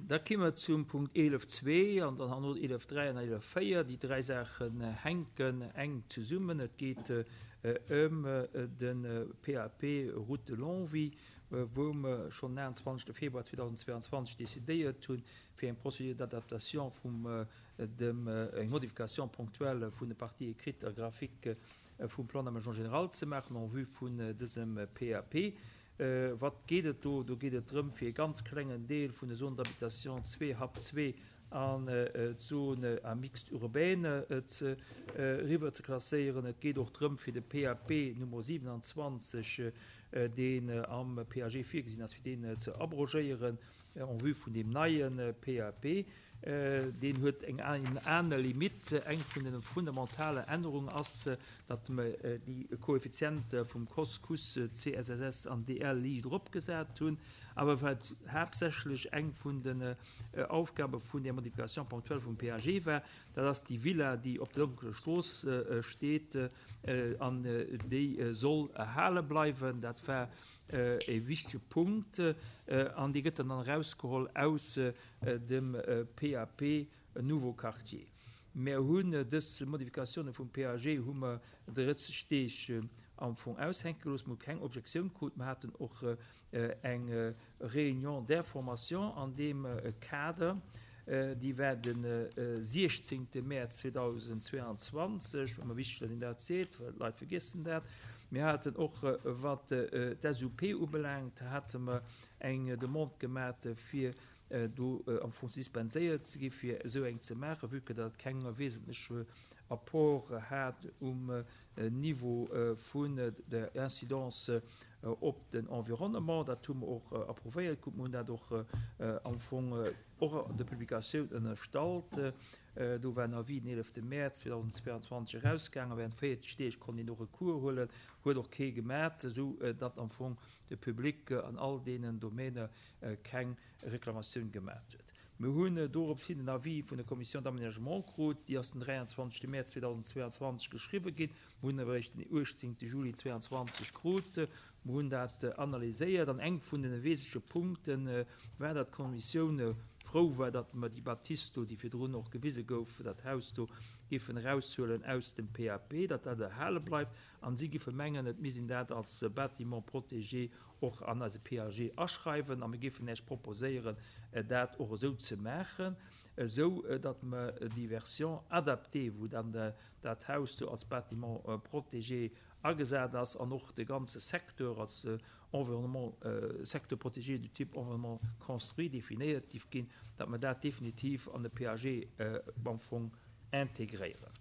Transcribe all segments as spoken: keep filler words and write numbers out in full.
Da komme mer zum Punkt eelef zwee an dann herno eelef dräi an eelef véier. Déi dräi Saachen hänken enk zesummen. Et geet ëm de P A P Route de Longwy, wou mer schonn den achtenzwanzegste Februar zweedausendzweianzwanzeg decidéiert hunn, fir eng Procédure d'adaptation vum dem, eng Modification ponctuelle vun de Parties écrites a graphiques vum Plan d'aménagement général ze maachen en vue vun dësem P A P. Wat geet et do? Do geet et drëm, fir e ganz klengen Deel vun der Zone d'habitation zwee H A P zwee an d'Zone à mixte urbaine ze eriwwer ze klasséieren. Et geet och drëm, fir de P A P Nummer siewenundzwanzeg, deen am P A G virgesinn ass, fir deen ze abrogéieren en vue vun deem neie P A P. Deen huet eng aner Limite. Eng vun de fundamentalen Ännerungen ass, datt mer déi Koeffiziente vum C O S, C U S, C S S S an D L liicht eropgesat hunn. Awer wat haaptsächlech eng vun den Aufgabe vun der Modification ponctuelle vum P A G war, dat ass déi Villa, déi op der Lonkecher Strooss steet, an déi soll erhale bleiwen. Dat war e wichtege Punkt an déi gëtt dann erausgeholl aus dem P A P Nouveau Quartier. Mir hunn dës Modifikatioune vum P A G hu mer drësseg Deeg am Fong aushänke gelooss. Mir hu keng Objektioun krut. Mir haten och eng Réunion d'information an deem Kader. Déi war de siechzéngte Mäerz zweedausendzweianzwanzeg. Ëmmer wichteg, datt een dat seet, well d'Leit vergiessen dat. Mir haten och, wat d'S U P ubelaangt, hate mer eng Demande gemat, fir do am Fong dispenséiert ze gi fir esou eng ze maachen, vue que dat keng wesentlech Apport hat um Niveau vun der Incidence op den Environnement. Dat hu mer och approuvéiert krut. Mir hunn dat och am Fong och an der Publikatioun ënnerstallt. Do war en Avis den eelefte Mäerz zweedausendzweianzwanzeg erausgaangen. Während véierzeg Deeg konnt een do Recours huelen, huet och kee gemat, esou datt am Fong de Public an all deenen Domäne keng Reklamatioun gemat huet. Mir hunn dorops hin den Avis vun der Commission d'aménagement krut, déi ass den dräianzwanzegste Mäerz zweedausendzweianzwanzeg geschriwwe ginn. Mir hunn awer eréischt den uechtzéngte Juli zweianzwanzeg krut. Mir hunn dat analyséiert an eng vun de wesentleche Punkte war, datt d'Kommissioun frou war, datt mer déi Bâtisse do, déi virdrun och gewise gouf, dat Haus do, géifen eraushuelen aus dem P A P, datt dat erhale bleift, an si géife mengen, et misst een dat als Bâtiment protégé och an eise P A G aschreiwen, a mir géifen Iech proposéieren, dat och esou ze maachen, esou datt mer déi Version adaptée, wou dann dat Haus do als Bâtiment protégé agesat ass an och de ganze Secteur als Environnement, secteur protégé du type environnement construit definéiert géif ginn, datt mer dat definitiv an de P A G am Fong integréieren.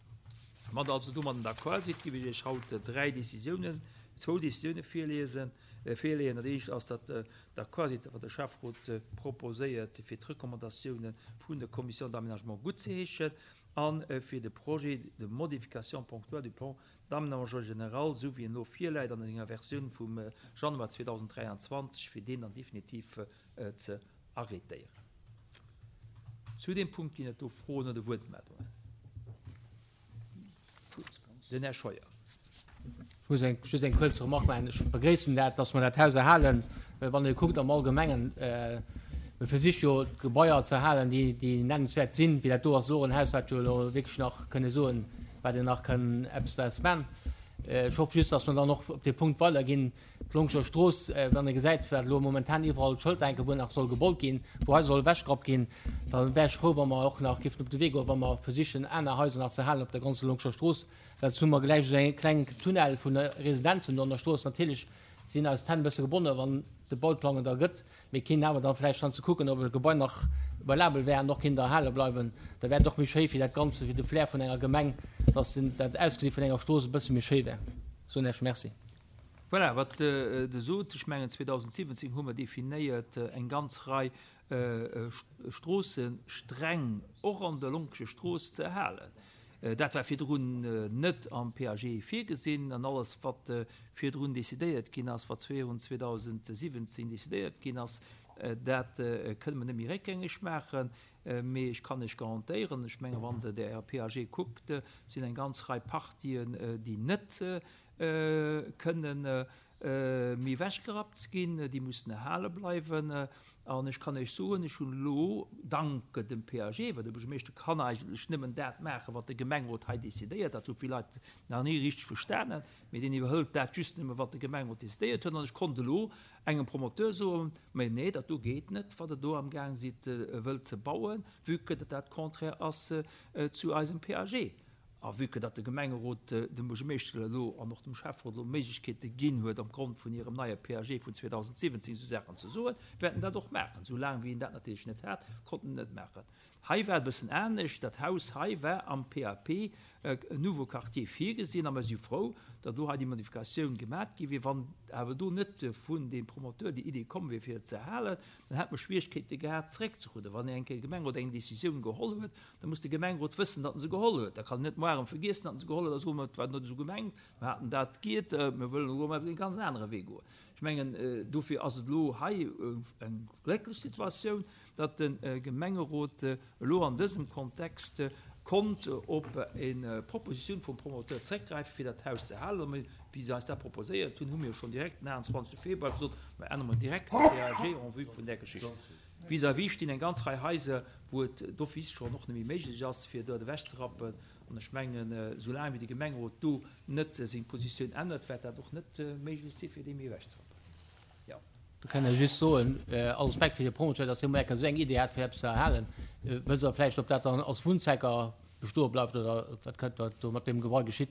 Wann Der also domadden d'accord sidd, géif ech Iech haut dräi Décisiounen, zwou Décisioune virliesen, virleeën. Dat éischt ass, datt Der d'accord sidd, wat de Schäfferot proposéiert, fir d'Recommandatioune vun der Commission d'aménagement guttzeheeschen a fir de Projet de modification ponctuelle du plan d'aménagement général, esou wéi en elo virläit an enger Versioun vum Januar zweedausenddräianzwanzeg, fir deen dann definitiv ze arrêtéieren. Zu deem Punkt ginn et do Froen oder Wuertmeldungen? Den Här Scheuer. Ech muss eng, just eng kuerz Remarque maachen. Ech begréissen dat, dass mer dat Haus erhalen, well wann ee kuckt am Allgemengen, mir versicht jo d'Gebaier ze erhalen, déi, déi nennenswäert sinn, wéi dat do ass, elo en Haus, wat jo elo wierklech nach kënne soen, wat een nach kënn eppes draus man. Ech hoffe just, dass mer dann och op dee Punkt weiderginn, d'Longscher Strooss, wann ee gesäit, wat elo momentan iwwerall d'Schëlter hänken, wou nach soll gebaut ginn, wou Haiser soll ewechgerappt ginn, da wär ech frou, wa mer och nach géifen op de Wee goen, wa mer versichen, aner Haiser nach ze halen op der ganzer Longscher Strooss, well soss hu mer gläich esou e klengen Tunnel vu Residenzen do an der Strooss. Natierlech sinn eis d'Hänn e bësse gebonnen, wann de Bauplang et ergëtt, mee kéint awer da vläicht schonn ze kucken, ob e Gebai nach valabel wär an och kéint erhale bleiwen. Da wär et och méi schéi fir dat Ganze, fir de Flair vun enger Gemeng, dass dat Ausgesi vun enger Strooss e bësse méi schéi wär. Soen Iech Merci. Voilà, wat Der sot, ech mengen zweedausendsiwwenzéng hu mer definéiert eng ganz Rei Stroosse streng och an der Lonkescher Strooss ze erhalen. Dat war virdrun net am P A G virgesinn an alles, wat virdrun decidéiert ginn ass, wat virun zweedausendsiwwenzéng decidéiert ginn ass, dat kënne mer net méi réckgängeg maachen. Mee ech kann Iech garantéieren, ech menge wann Der de P A G kuckt, sinn eng ganz Rei Partien, déi net kënnen méi ewechgerappt ginn, déi mussen erhale bleiwen. An ech kann Iech soen, ech hunn elo dank dem P A G, well de Buergermeeschter kann eigentlech nëmmen dat maachen, wat de Gemengerot hei decidéiert, dat hu vill Leit nach ni richteg verstanen, mee deen iwwerhëlt dat just nëmme, wat de Gemengerot decidéiert huet. An ech konnt elo engem Promoteur soen, mee nee, dat do geet net, wat der do am Gaang sidd, wëllt ze bauen, vue que dat dat contraire ass zu eisem P A G. A vue que dat de Gemengerot dem Buergermeeschter elo an och dem Schäfferot elo Méiglechkeete ginn huet, am Grond vun hirem neie P A G vun zweedausendsiwwenzéng esou Saachen ze soen, wäerten dat och maachen. Soulaang wéi een dat natierlech net hat, konnten en net maachen. Hei war et e bëssen anescht. Dat Haus hei war am P A P Nouveau Quartier virgesinn, a mir si frou, datt do hei déi Modifikatioun gemaach gi wier. Wann awer do net vun dem Promoteur déi Idee komm wier, fir et ze halen, dann hätt man Schwierigkeete gehabt, zréckzerudden. Wann eng Gemengerot eng Decisioun geholl huet, dann muss de Gemengerot wëssen, datt en se geholl huet. Da kann net morgen vergessen, datt en se geholl huet, da soen wir, et war net esou gemengt, wir hatten dat geht, wir wëllen elo mol den ganz anderen Weg goen. Ich mengen, dofir ass et elo hei eng glécklech Situatioun, datt de Gemengerot elo an dësem Kontext konnt op eng Proposition vum Promoteur zréckgräifen, fir dat Haus ze halen. Mee wie se eis dat proposéiert hunn, hu mir schon direkt den achtundzwanzigsten Februar gesot, wir ännern mal direkt den P A G en vue vun der Geschichte. Vis-à-vis stinn eng ganz Rei Häuser, wou et d'office schon noch net méi méiglech ass, fir dort ewechzerappen. An ech mengen, solange wie de Gemengerot do net seng Positioun ännert, wäert dat och net méiglech sinn, fir déi méi ewechzerappen. Ja. Du kann ja just soen, all Respekt fir de Promoteur, dass hie merkt, esou eng Idee hat, fir eppes ze erhalen. Wësst Der vläicht, ob dat dann als Wunnzwecker bestoe bleift oder wat kënnt dat do mat dem Gebai geschitt?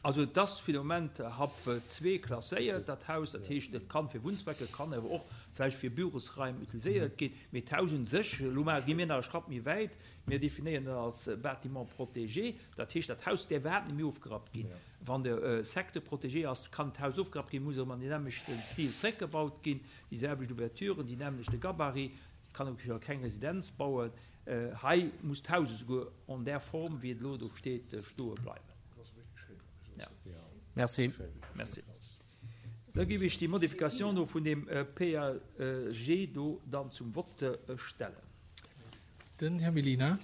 Also das fir de Moment hab zwee klasséiert, dat Haus, dat heescht, dat kann fir Wunnzwecke, kann awer och vläicht fir Bürosraim utiliséiert ginn. Mee d'Haus un sech, lo mal gi mir nach e Schratt méi wäit, mir definieren dat als Bâtiment protégé, dat heescht, dat Haus däerf iwwerhaapt net méi ofgerappt ginn. Ja. Wann de, äh, Secteur protégé ass, kann d'Haus ofgerappt ginn, muss erëm an den nämlechten Stil zréckgebaut ginn, déi selwecht Ouverturen, déi nämlechte Gabarit, kann och keng Residenz bauen. Äh, hei muss d'Haus esouguer an der Form, wéi et elo do steet, stoe bleiwen. Ja. Merci. Merci. Da gebe ich die Modifikation do vun dem, äh, P A G do dann zum Vote, äh, stellen. Den Herr Mellina.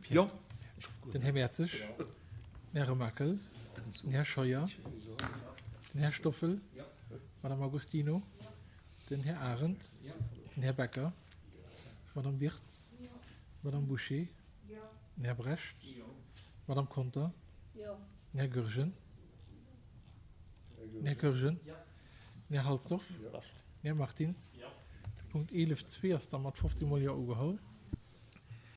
Ja. Den Herr Mertzig. Den Herr Remakel. Den Herr Scheuer. Den Herr Stoffel. Madame Agostino. Den Herr Arendt. Den Herr Becker. Madame Wirtz. Madame Boucher. Den Herr Brecht. Madame Conter. Den Herr Goergen. Den Herr Goergen. Den Herr Halsdorf. Den Herr Martins. De Punkt elf zwei ass dann mat fünfzehn Mol Ja ugeholl.